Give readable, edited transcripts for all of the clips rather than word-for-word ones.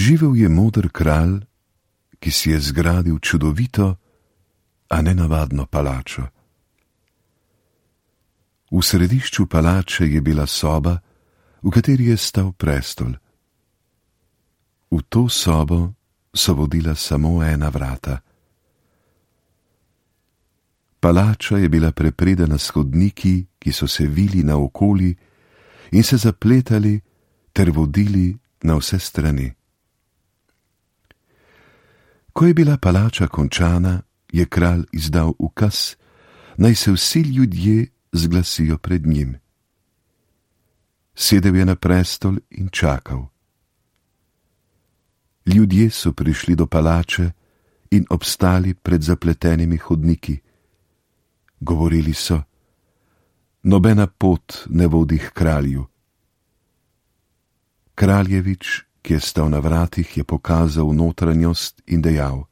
Živel je moder kralj, ki si je zgradil čudovito, a nenavadno palačo. V središču palače je bila soba, v kateri je stal prestol. V to sobo so vodila samo ena vrata. Palača je bila prepredena s hodniki, ki so se vili naokoli in se zapletali ter vodili na vse strani. Ko je bila palača končana, je kralj izdal ukaz, naj se vsi ljudje zglasijo pred njim. Sedel je na prestol in čakal. Ljudje so prišli do palače in obstali pred zapletenimi hodniki. Govorili so: nobena pot ne vodi k kralju. Kraljevič, ki je stal na vratih, je pokazal notranjost in dejal: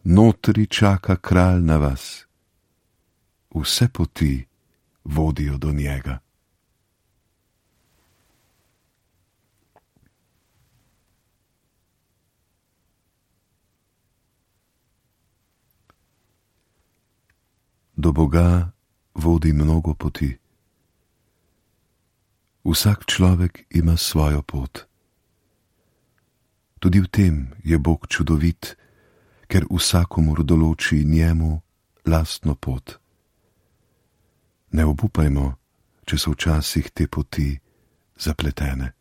notri čaka kralj na vas. Vse poti vodijo do njega. Do Boga vodi mnogo poti. Vsak človek ima svojo pot. Tudi v tem je Bog čudovit, ker vsakomur določi njemu lastno pot. Ne obupajmo, če so včasih te poti zapletene.